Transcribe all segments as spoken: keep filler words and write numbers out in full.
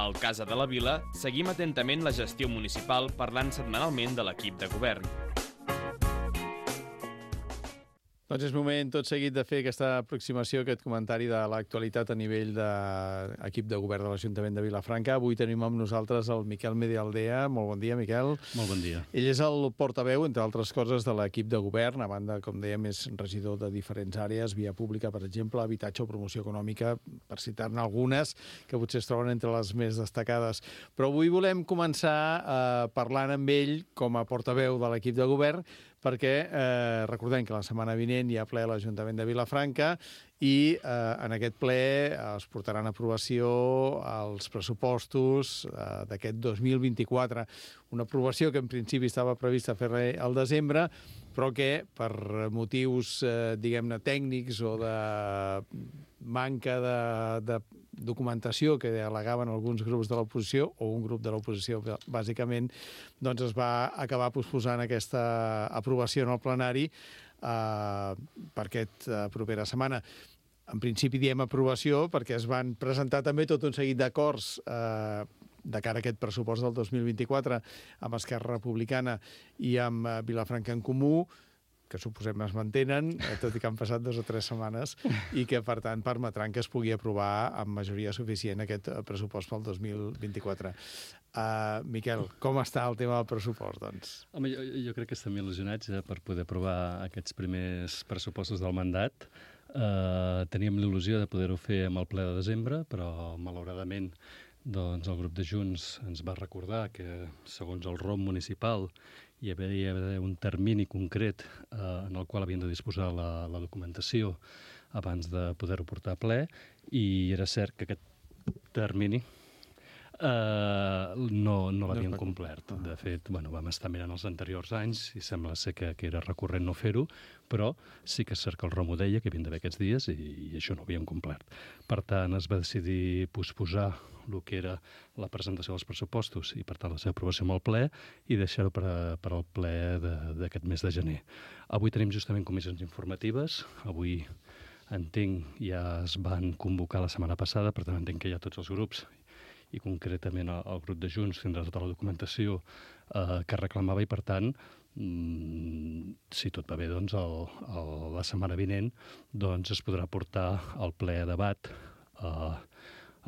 Al Casa de la Vila seguim atentament la gestió municipal parlant setmanalment de l'equip de govern. Doncs és moment tot seguit de fer aquesta aproximació, aquest comentari de l'actualitat a nivell de l'equip de govern de l'Ajuntament de Vilafranca. Avui tenim amb nosaltres el Miquel Medialdea. Molt bon dia, Miquel. Molt bon dia. Ell és el portaveu, entre altres coses, de l'equip de govern. A banda, com dèiem, és regidor de diferents àrees, via pública, per exemple, habitatge o promoció econòmica, per citar-ne algunes, que potser es troben entre les més destacades. Però avui volem començar eh, parlant amb ell com a portaveu de l'equip de govern, perquè eh, recordem que la setmana vinent hi ha ple a l'Ajuntament de Vilafranca i eh, en aquest ple es portaran a aprovació els pressupostos eh, d'aquest dos mil vint-i-quatre. Una aprovació que en principi estava prevista fer al desembre, però que per motius, eh, diguem-ne, tècnics o de manca de, de documentació que al·legaven alguns grups de l'oposició, o un grup de l'oposició, bàsicament, doncs es va acabar posposant aquesta aprovació en el plenari eh, per aquesta propera setmana. En principi diem aprovació perquè es van presentar també tot un seguit d'acords eh, de cara a aquest pressupost del dos mil vint-i-quatre amb Esquerra Republicana i amb eh, Vilafranca en Comú, que suposem es mantenen, tot i que han passat dues o tres setmanes, i que, per tant, permetran que es pugui aprovar amb majoria suficient aquest pressupost pel dos mil vint-i-quatre. Uh, Miquel, com està el tema del pressupost, doncs? Home, jo, jo crec que estem il·lusionats eh, per poder aprovar aquests primers pressupostos del mandat. Uh, teníem l'il·lusió de poder-ho fer amb el ple de desembre, però, malauradament, doncs el grup de Junts ens va recordar que, segons el R O M municipal, hi havia d'haver un termini concret eh, en el qual havien de disposar la, la documentació abans de poder-ho portar a ple, i era cert que aquest termini eh, no, no l'havien complert. De fet, bueno, vam estar mirant els anteriors anys i sembla ser que, que era recurrent no fer-ho, però sí que és cert que el R O M ho deia, que havien d'haver aquests dies, i, i això no ho havien complert. Per tant, es va decidir posposar el que era la presentació dels pressupostos i, per tant, la seva aprovació amb el ple, i deixar-ho per, a, per al ple d'aquest mes de gener. Avui tenim justament comissions informatives. Avui, entenc, ja es van convocar la setmana passada, per tant, entenc que ja tots els grups, i concretament el, el grup de Junts, tindrà tota la documentació eh, que reclamava, i, per tant, mm, si tot va bé, doncs, el, el, la setmana vinent doncs, es podrà portar al ple a debat eh,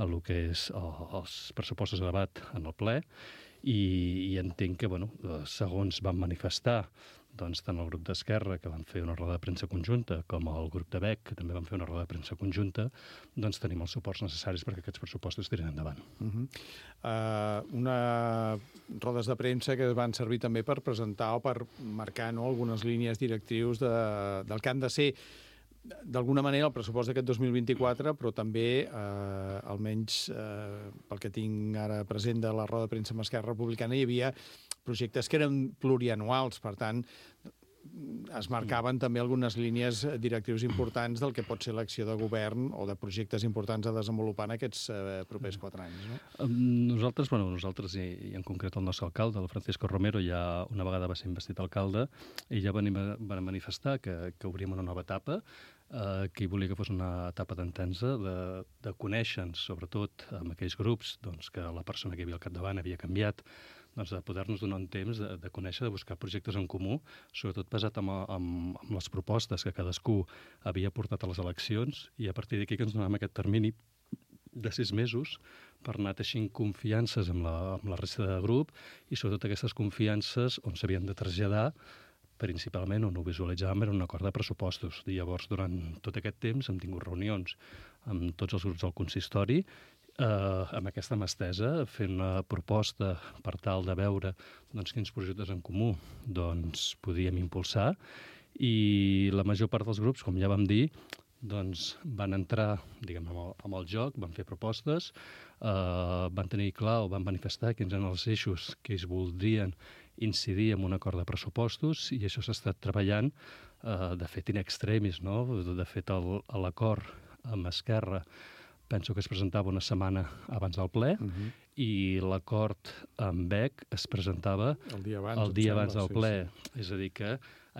el que és els pressupostos de debat en el ple, i, i entenc que, bueno, segons van manifestar doncs, tant el grup d'Esquerra, que van fer una roda de premsa conjunta, com el grup de B E C, que també van fer una roda de premsa conjunta, doncs tenim els suports necessaris perquè aquests pressupostos tirin endavant. Uh-huh. uh, una rodes de premsa que van servir també per presentar o per marcar, no, algunes línies directrius de, del que han de ser d'alguna manera el pressupost d'aquest dos mil vint-i-quatre, però també, eh, almenys eh, pel que tinc ara present de la roda de premsa amb Esquerra Republicana, hi havia projectes que eren plurianuals, per tant, es marcaven també algunes línies directrius importants del que pot ser l'acció de govern o de projectes importants a desenvolupar en aquests eh, propers quatre anys, no? Nosaltres, bueno, nosaltres i, i en concret el nostre alcalde, el Francisco Romero, ja una vegada va ser investit alcalde, i ja van, van manifestar que, que obríem una nova etapa, eh, que hi volia que fos una etapa d'entesa, de, de conèixer-nos, sobretot amb aquells grups doncs, que la persona que hi havia al capdavant havia canviat, doncs de poder-nos donar un temps de, de conèixer, de buscar projectes en comú, sobretot basat en, en, en les propostes que cadascú havia portat a les eleccions, i a partir d'aquí que ens donàvem aquest termini de sis mesos per anar teixint confiances amb la, amb la resta de grup, i sobretot aquestes confiances on s'havien de traslladar, principalment on ho visualitzàvem era un acord de pressupostos. I llavors, durant tot aquest temps, hem tingut reunions amb tots els grups del consistori, Uh, amb aquesta mà estesa, fent una proposta per tal de veure doncs, quins projectes en comú doncs, podíem impulsar, i la major part dels grups, com ja vam dir, doncs, van entrar diguem, amb, el, amb el joc, van fer propostes, uh, van tenir clar o van manifestar quins eren els eixos que ells voldrien incidir en un acord de pressupostos, i això s'ha estat treballant, uh, de fet, in extremis, no? De fet, l'acord amb Esquerra penso que es presentava una setmana abans del ple, uh-huh. i l'acord amb B E C es presentava el dia abans, el dia abans del sí, ple. Sí. És a dir, que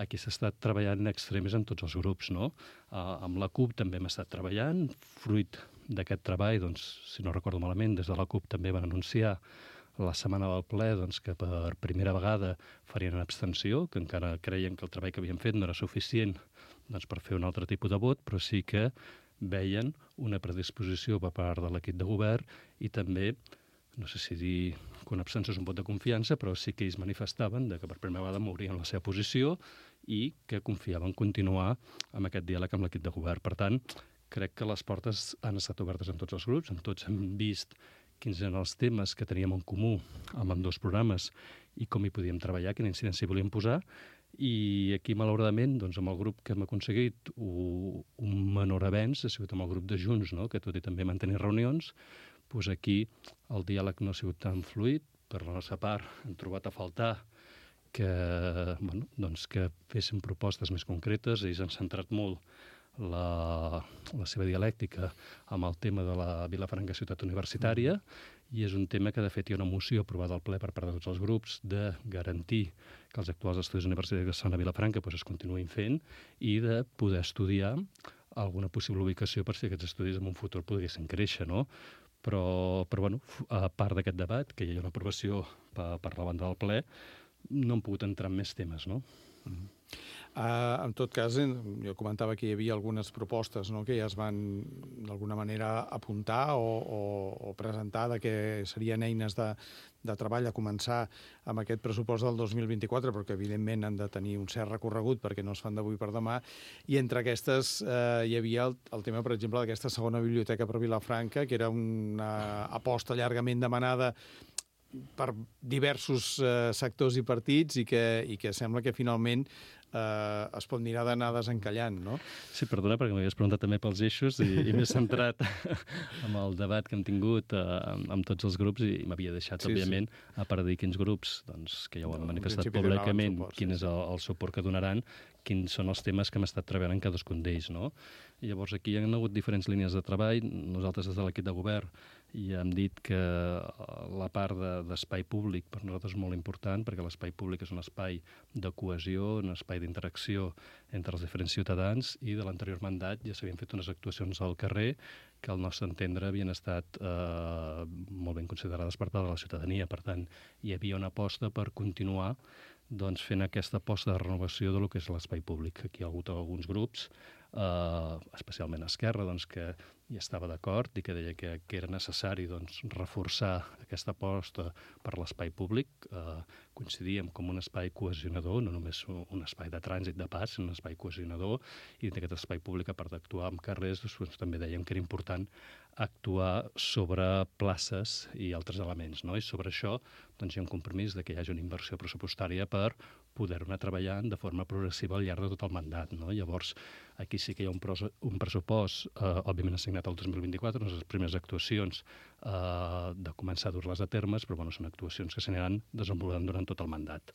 aquí s'ha estat treballant en extremis en tots els grups, no? Uh, amb la CUP també hem estat treballant, fruit d'aquest treball, doncs, si no recordo malament, des de la CUP també van anunciar la setmana del ple doncs, que per primera vegada farien una abstenció, que encara creien que el treball que havien fet no era suficient doncs, per fer un altre tipus de vot, però sí que veien una predisposició per part de l'equip de govern i també, no sé si dir que una abstenció és un vot de confiança, però sí que ells manifestaven de que per primera vegada mourien la seva posició i que confiaven continuar amb aquest diàleg amb l'equip de govern. Per tant, crec que les portes han estat obertes en tots els grups, en tots hem vist quins eren els temes que teníem en comú amb ambdós programes i com hi podíem treballar, quina incidència volíem posar. I aquí, malauradament, doncs, amb el grup que hem aconseguit un menor avenç ha sigut amb el grup de Junts, no? Que tot i també mantenir reunions, doncs aquí el diàleg no ha sigut tan fluid. Per la nostra part, hem trobat a faltar que, bueno, doncs, que féssim propostes més concretes. Ells han centrat molt La, la seva dialèctica amb el tema de la Vilafranca ciutat universitària i és un tema que de fet hi ha una moció aprovada al ple per part de tots els grups de garantir que els actuals estudis universitaris que estan a Vilafranca doncs, es continuïn fent i de poder estudiar alguna possible ubicació per si aquests estudis en un futur poguessin créixer, no? Però, però bueno, a part d'aquest debat, que hi ha una aprovació per, per la banda del ple, no hem pogut entrar en més temes, no? Mm-hmm. Uh, en tot cas, jo comentava que hi havia algunes propostes, no?, que ja es van d'alguna manera apuntar o, o, o presentar de que serien eines de, de treball a començar amb aquest pressupost del dos mil vint-i-quatre, però que evidentment han de tenir un cert recorregut perquè no es fan d'avui per demà, i entre aquestes eh, hi havia el, el tema, per exemple, d'aquesta segona biblioteca per Vilafranca, que era una aposta llargament demanada per diversos eh, sectors i partits i que, i que sembla que finalment eh, es pot mirar d'anar desencallant, no? Sí, perdona, perquè m'havies preguntat també pels eixos i, i m'he centrat amb el debat que hem tingut eh, amb, amb tots els grups i m'havia deixat, sí, òbviament, sí. a part de dir quins grups, doncs, que ja ho han no, manifestat públicament, suport, quin sí, és el, el suport que donaran, quins són els temes que hem estat treballant en cadascun d'ells, no? I llavors aquí hi ha hagut diferents línies de treball. Nosaltres des de l'equip de govern ja hem dit que la part d'espai de, públic per nosaltres és molt important, perquè l'espai públic és un espai de cohesió, un espai d'interacció entre els diferents ciutadans, i de l'anterior mandat ja s'havien fet unes actuacions al carrer que al nostre entendre havien estat eh, molt ben considerades per part de la ciutadania. Per tant, hi havia una aposta per continuar doncs, fent aquesta aposta de renovació de lo que és l'espai públic. Aquí hi ha hagut alguns grups, eh, especialment Esquerra, doncs, que hi estava d'acord i que deia que, que era necessari doncs, reforçar aquesta aposta per l'espai públic. Eh, coincidíem com un espai cohesionador, no només un espai de trànsit de pas, sinó un espai cohesionador, i d'aquest espai públic, a part d'actuar en carrers, doncs, també dèiem que era important actuar sobre places i altres elements, no? I sobre això doncs, hi ha un compromís de que hi hagi una inversió pressupostària per poder anar treballant de forma progressiva al llarg de tot el mandat, no? Llavors, aquí sí que hi ha un, un pressupost, eh, òbviament assignat al dos mil vint-i-quatre, no són les primeres actuacions eh, de començar a dur-les a termes, però bueno, són actuacions que s'aniran desenvolupant durant tot el mandat.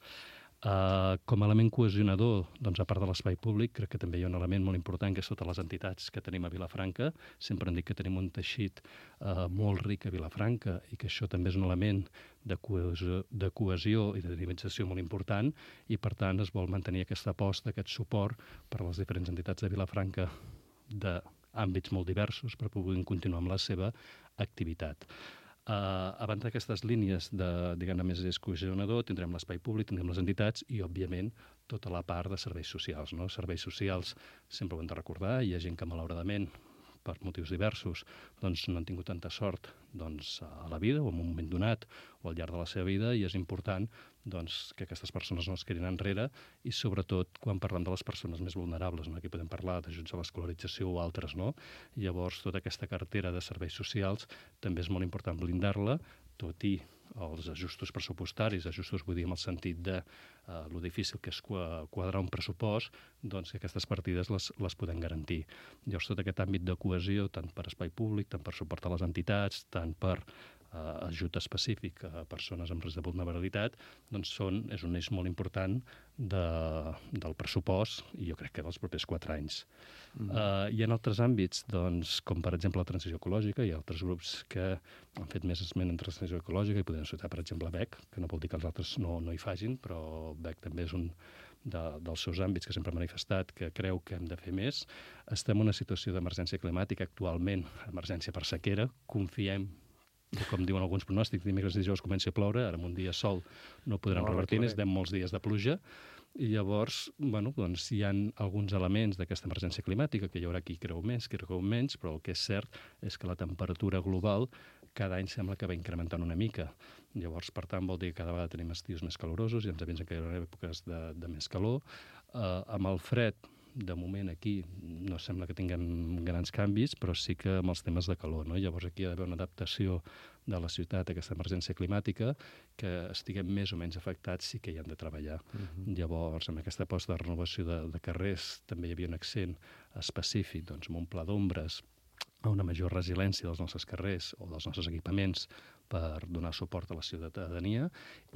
Uh, com a element cohesionador, doncs, a part de l'espai públic, crec que també hi ha un element molt important, que és totes les entitats que tenim a Vilafranca. Sempre hem dit que tenim un teixit uh, molt ric a Vilafranca i que això també és un element de cohesió, de cohesió i de dinamització molt important, i per tant es vol mantenir aquesta aposta, aquest suport per a les diferents entitats de Vilafranca d'àmbits molt diversos per poder continuar amb la seva activitat. Uh, abans d'aquestes línies de, diguem-ne, més cohesionador, tindrem l'espai públic, tindrem les entitats i, òbviament, tota la part de serveis socials, no? Serveis socials sempre ho hem de recordar, hi ha gent que, malauradament, per motius diversos, doncs no han tingut tanta sort doncs, a la vida o en un moment donat o al llarg de la seva vida, i és important doncs, que aquestes persones no es quedin enrere, i sobretot quan parlem de les persones més vulnerables, no? Aquí podem parlar d'ajuts a l'escolarització o altres, no? I llavors tota aquesta cartera de serveis socials també és molt important blindar-la, tot i els ajustos pressupostaris, ajustos vull dir en el sentit de eh, lo difícil que és quadrar un pressupost, doncs que aquestes partides les, les podem garantir. Llavors tot aquest àmbit de cohesió, tant per espai públic, tant per suportar les entitats, tant per eh, ajut específic a persones amb risc de vulnerabilitat, doncs són, és un eix molt important de, del pressupost, i jo crec que dels propers quatre anys. Mm. Uh, hi ha altres àmbits, doncs, com per exemple la transició ecològica. Hi ha altres grups que han fet més esment en transició ecològica i podem citar, per exemple, B E C, que no vol dir que els altres no, no hi facin, però B E C també és un, de, dels seus àmbits, que sempre ha manifestat que creu que hem de fer més. Estem en una situació d'emergència climàtica actualment, emergència per sequera. Confiem que, com diuen alguns pronòstics, dimecres i dijous comenci a ploure, ara amb un dia sol no podrem no, revertir, necessitem molts dies de pluja, i llavors, bueno, doncs, hi ha alguns elements d'aquesta emergència climàtica, que hi haurà qui creu més, qui creu menys, però el que és cert és que la temperatura global cada any sembla que va incrementant una mica. Llavors, per tant, vol dir que cada vegada tenim estius més calorosos i ens avisen que hi haurà èpoques de, de més calor. Uh, amb el fred, de moment aquí no sembla que tinguem grans canvis, però sí que amb els temes de calor, no? Llavors aquí hi ha d'haver una adaptació de la ciutat a aquesta emergència climàtica, que estiguem més o menys afectats, sí que hi han de treballar. Uh-huh. Llavors, amb aquesta aposta de renovació de, de carrers, també hi havia un accent específic, doncs, amb un pla d'ombres, a una major resiliència dels nostres carrers o dels nostres equipaments per donar suport a la ciutadania,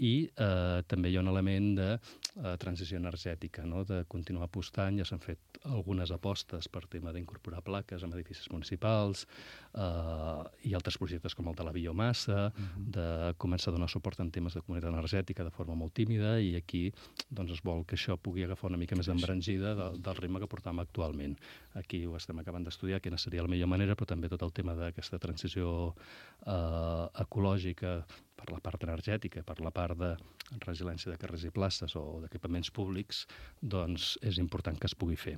i eh, també hi ha un element de eh, transició energètica, no? De continuar apostant. Ja s'han fet algunes apostes per tema d'incorporar plaques en edificis municipals, eh, i altres projectes com el de la biomassa, uh-huh. de començar a donar suport en temes de comunitat energètica de forma molt tímida, i aquí doncs, es vol que això pugui agafar una mica més d'embranzida de, del ritme que portam actualment. Aquí ho estem acabant d'estudiar, quina seria la millor manera, però també tot el tema d'aquesta transició eh, ecològica per la part energètica, per la part de resiliència de carrers i places o d'equipaments públics, doncs és important que es pugui fer.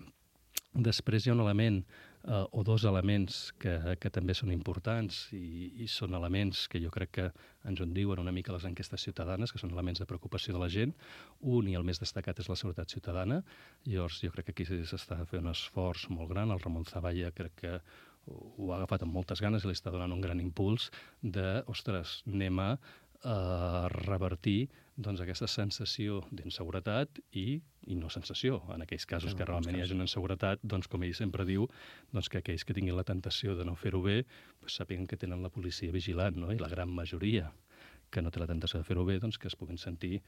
Després hi ha un element, eh, o dos elements que, que també són importants i, i són elements que jo crec que ens en diuen una mica les enquestes ciutadanes, que són elements de preocupació de la gent. Un, i el més destacat, és la seguretat ciutadana. Llavors, jo crec que aquí s'està fent un esforç molt gran. El Ramon Zavalla crec que ho ha agafat amb moltes ganes i li està donant un gran impuls de, ostres, anem a uh, revertir doncs, aquesta sensació d'inseguretat i, i no sensació. En aquells casos sí, que realment hi hagi una inseguretat, doncs, com ell sempre diu, doncs, que aquells que tinguin la tentació de no fer-ho bé doncs, sàpiguen que tenen la policia vigilant, no? I la gran majoria que no té la tentació de fer-ho bé, doncs que es puguin sentir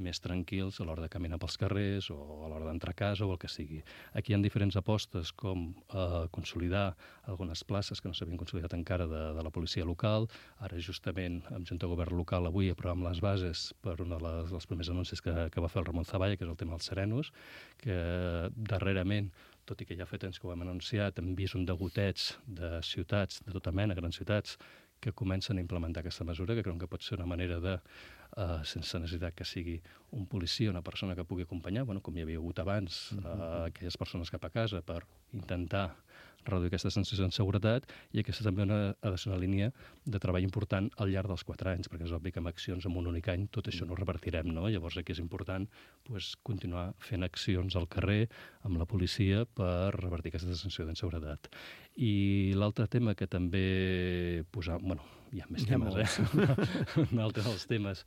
més tranquils a l'hora de caminar pels carrers o a l'hora d'entrar a casa o el que sigui. Aquí hi ha diferents apostes com eh, consolidar algunes places que no s'havien consolidat encara de, de la policia local. Ara justament amb Junta de Govern local avui aprovem les bases per una de les, dels primers anuncis que, que va fer el Ramon Zavalla, que és el tema dels serenos, que darrerament, tot i que ja fa temps que ho hem anunciat, hem vist un degoteig de ciutats, de tota mena, grans ciutats, que comencen a implementar aquesta mesura, que creuen que pot ser una manera de, uh, sense necessitat que sigui un policia, una persona que pugui acompanyar, bueno, com hi havia hagut abans, uh, aquelles persones cap a casa per intentar reduir aquesta sensació d'inseguretat, i aquesta també una, ha de ser una línia de treball important al llarg dels quatre anys, perquè és obvi que amb accions en un únic any tot això no ho revertirem, no? Llavors aquí és important pues, continuar fent accions al carrer amb la policia per revertir aquesta sensació d'inseguretat. I l'altre tema que també posam... Bueno, hi ha més hi ha temes, eh? Un altre dels temes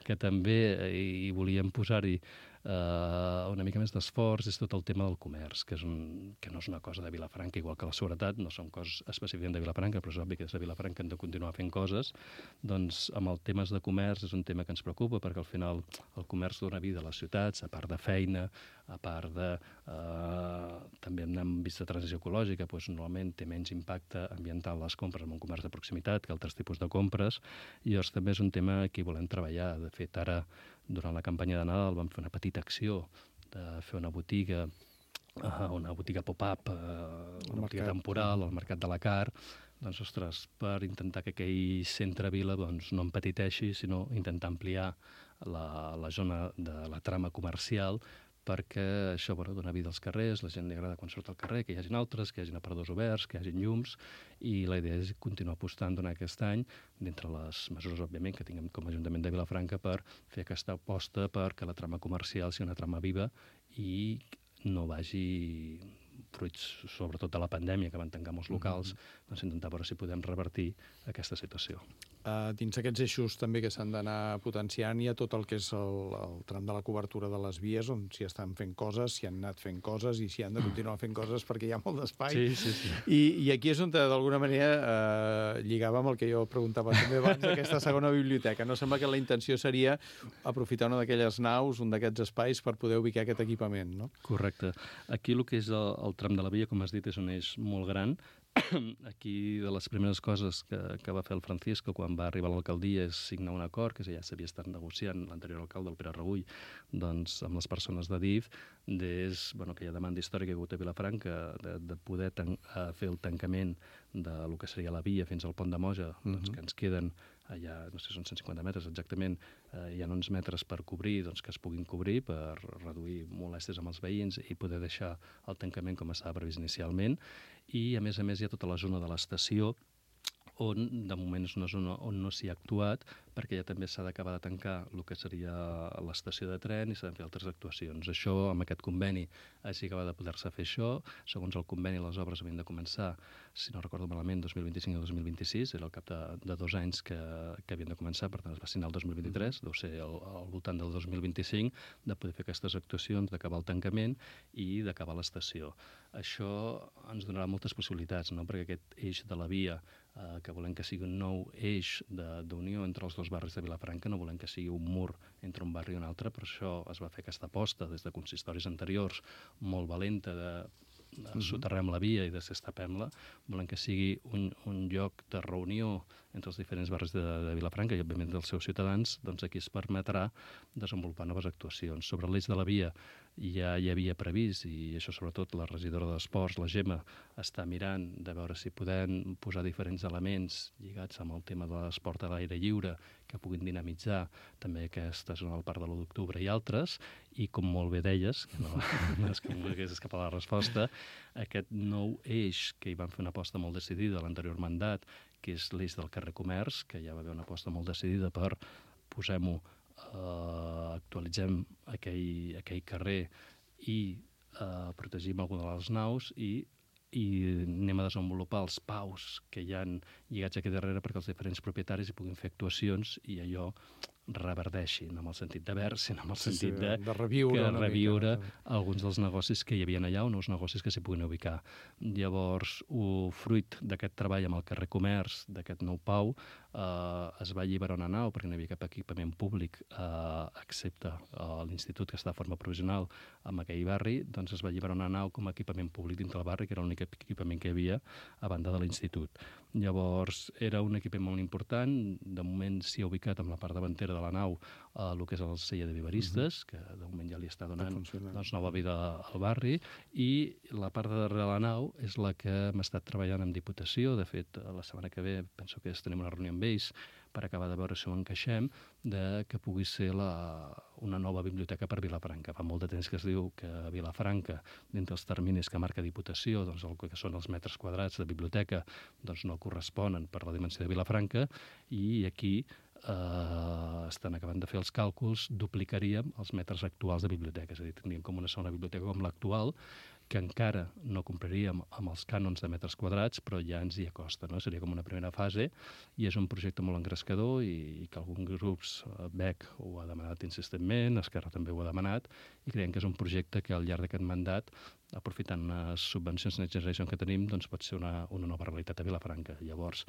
que també hi volíem posar-hi Uh, una mica més d'esforç és tot el tema del comerç, que, és un, que no és una cosa de Vilafranca, igual que la seguretat, no són coses específicament de Vilafranca, però és obvi que des de Vilafranca hem de continuar fent coses. Doncs amb els temes de comerç és un tema que ens preocupa, perquè al final el comerç dona vida a les ciutats, a part de feina, a part de... Uh, també hem vist de transició ecològica, doncs normalment té menys impacte ambiental les compres en un comerç de proximitat que altres tipus de compres, i llavors també és un tema que hi volem treballar. De fet, ara durant la campanya de Nadal vam fer una petita acció de fer una botiga, uh, una botiga pop-up, uh, una botiga temporal al Mercat de la Car, doncs, ostres, per intentar que aquell centre-vila doncs, no empetiteixi, sinó intentar ampliar la, la zona de la trama comercial, perquè això bueno, dona vida als carrers, la gent li agrada quan surt al carrer, que hi hagin altres, que hi hagin aparadors oberts, que hi hagin llums, i la idea és continuar apostant durant aquest any, d'entre les mesures, òbviament, que tinguem com a Ajuntament de Vilafranca per fer aquesta aposta perquè la trama comercial sigui una trama viva i no vagi fruits, sobretot de la pandèmia, que van tancar molts locals, mm-hmm. doncs intentar veure si podem revertir aquesta situació. Uh, dins aquests eixos també que s'han d'anar potenciant hi ha tot el que és el, el tram de la cobertura de les vies, on s'hi estan fent coses, s'hi han anat fent coses i s'hi han de continuar fent coses perquè hi ha molt d'espai. Sí, sí, sí. I, I aquí és on d'alguna manera uh, lligava amb el que jo preguntava també abans d'aquesta segona biblioteca. No sembla que la intenció seria aprofitar una d'aquelles naus, un d'aquests espais per poder ubicar aquest equipament, no? Correcte. Aquí el que és el, el tram de la via, com has dit, és un eix molt gran, aquí de les primeres coses que, que va fer el Francisco quan va arribar a l'alcaldia és signar un acord, que ja s'havia estat negociant l'anterior alcalde, el Pere Rebull, doncs, amb les persones de D I F, des, bueno, aquella demanda històrica que ha hagut a Vilafranca de, de poder tan, uh, fer el tancament de lo que seria la via fins al pont de Moja, uh-huh. doncs, que ens queden allà, no sé, són cent cinquanta metres exactament, eh, hi ha uns metres per cobrir, doncs que es puguin cobrir per reduir molèsties amb els veïns i poder deixar el tancament com estava previst inicialment. I, a més a més, hi ha tota la zona de l'estació, on de moment és una zona on no s'hi ha actuat, perquè ja també s'ha d'acabar de tancar el que seria l'estació de tren i s'han de fer altres actuacions. Això, amb aquest conveni, així acaba de poder-se fer això. Segons el conveni, les obres havien de començar, si no recordo malament, dos mil vint-i-cinc o dos mil vint-i-sis, era al cap de, de dos anys que, que havien de començar, per tant es va signar el dos mil vint-i-tres, deu ser al, al voltant del dos mil vint-i-cinc, de poder fer aquestes actuacions, d'acabar el tancament i d'acabar l'estació. Això ens donarà moltes possibilitats, no? Perquè aquest eix de la via, eh, que volem que sigui un nou eix d'unió entre els dos barris de Vilafranca, no volem que sigui un mur entre un barri i un altre, per això es va fer aquesta aposta des de consistoris anteriors molt valenta de Uh-huh. soterrem la via i desestapem-la. Volem que sigui un, un lloc de reunió entre els diferents barris de, de Vilafranca i, òbviament, dels seus ciutadans. Doncs aquí es permetrà desenvolupar noves actuacions. Sobre l'eix de la via ja hi havia previst, i això sobretot la regidora d'Esports, la Gemma, està mirant de veure si podem posar diferents elements lligats amb el tema de l'esport a l'aire lliure que puguin dinamitzar també aquesta zona del Parc de l'u d'octubre i altres, i com molt bé deies, que no, no és que em volgués escapar la resposta, aquest nou eix que hi van fer una aposta molt decidida a l'anterior mandat, que és l'eix del carrer Comerç, que ja va haver una aposta molt decidida per, posem-ho, Uh, actualitzem aquell, aquell carrer i uh, protegim alguna de les naus i, i anem a desenvolupar els paus que hi han lligats aquí darrere perquè els diferents propietaris hi puguin fer actuacions i allò reverdeixi, no amb el sentit de verd, sinó amb el sí, sentit sí, de, de reviure, que reviure mica, alguns dels negocis que hi havia allà o nous negocis que s'hi puguin ubicar. Llavors, o fruit d'aquest treball amb el carrer Comerç, d'aquest nou pau, eh, es va alliberar una nau perquè no hi havia cap equipament públic, eh, excepte eh, l'institut que està de forma provisional en aquell barri, doncs es va alliberar una nau com a equipament públic dintre el barri, que era l'únic equipament que hi havia a banda de l'institut. Llavors, era un equipament molt important, de moment s'hi ha ubicat amb la part davantera de la nau eh, el que és el celler de viveristes, uh-huh. que de moment ja li està donant doncs, nova vida al barri, i la part de darrere de la nau és la que hem estat treballant amb Diputació. De fet, la setmana que ve penso que tenim una reunió amb ells per acabar de veure si ho encaixem, de que pugui ser la, una nova biblioteca per Vilafranca. Fa molt de temps que es diu que a Vilafranca, dintre els terminis que marca Diputació, doncs el que són els metres quadrats de biblioteca, doncs no corresponen per la dimensió de Vilafranca, i aquí eh, estan acabant de fer els càlculs, duplicaríem els metres actuals de biblioteca, és a dir, tindríem com una segona biblioteca com l'actual, que encara no compraríem amb els cànons de metres quadrats, però ja ens hi acosta, no? Seria com una primera fase, i és un projecte molt engrescador i, i que alguns grups, B E C ho ha demanat insistentment, Esquerra també ho ha demanat, i creiem que és un projecte que al llarg d'aquest mandat, aprofitant les subvencions Next Generation que tenim, doncs pot ser una, una nova realitat a Vilafranca. Llavors,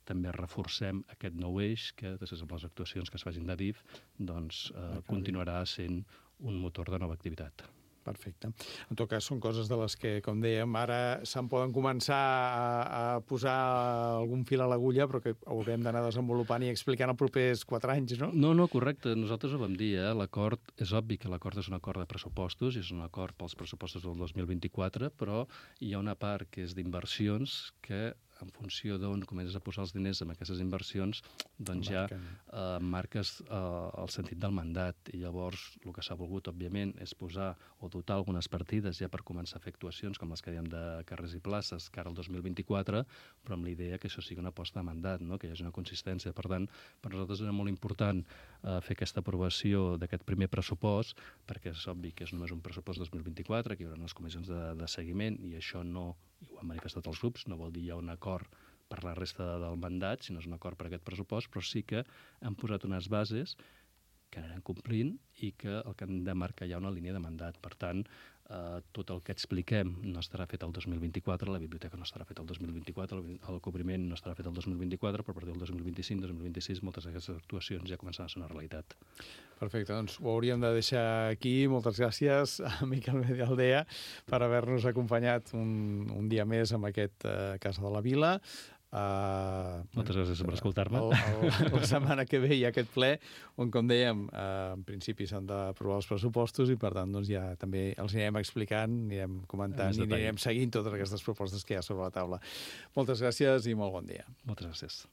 també reforcem aquest nou eix que, després de les actuacions que es facin de D I F, doncs eh, continuarà sent un motor de nova activitat. Perfecte. En tot cas, són coses de les que, com dèiem, ara se'n poden començar a, a posar algun fil a l'agulla, però que haurem d'anar desenvolupant i explicant els propers quatre anys, no? No, no, correcte. Nosaltres ho vam dir, eh? L'acord, és obvi que l'acord és un acord de pressupostos, és un acord pels pressupostos del dos mil vint-i-quatre, però hi ha una part que és d'inversions que, en funció d'on comences a posar els diners en aquestes inversions, doncs ja eh, marques eh, el sentit del mandat. I llavors el que s'ha volgut, òbviament, és posar o dotar algunes partides ja per començar a fer actuacions com les que dèiem de carrers i places cara al dos mil vint-i-quatre, però amb la idea que això sigui una aposta de mandat, no? Que hi hagi una consistència. Per tant, per nosaltres era molt important eh, fer aquesta aprovació d'aquest primer pressupost, perquè és obvi que és només un pressupost dos mil vint-i-quatre, que hi haurà unes comissions de, de seguiment, i això no, i ho han manifestat els grups, no vol dir hi ha un acord per la resta del mandat, sinó és un acord per aquest pressupost, però sí que han posat unes bases que anirem complint i que el que hem de marcar ja una línia de mandat. Per tant, eh, tot el que expliquem no estarà fet el dos mil vint-i-quatre, la biblioteca no estarà fet el dos mil vint-i-quatre, el cobriment no estarà fet el dos mil vint-i-quatre, però a partir del dos mil vint-i-cinc, dos mil vint-i-sis, moltes d'aquestes actuacions ja començaran a ser una realitat. Perfecte, doncs ho hauríem de deixar aquí. Moltes gràcies a Miquel Medialdea per haver-nos acompanyat un, un dia més amb aquest uh, Casa de la Vila. Uh, Moltes gràcies per escoltar-me. La setmana que ve hi ha aquest ple on, com dèiem, uh, en principi s'han d'aprovar els pressupostos i, per tant, doncs ja també els anirem explicant, anirem comentant i anirem seguint totes aquestes propostes que hi ha sobre la taula. Moltes gràcies i molt bon dia. Moltes gràcies.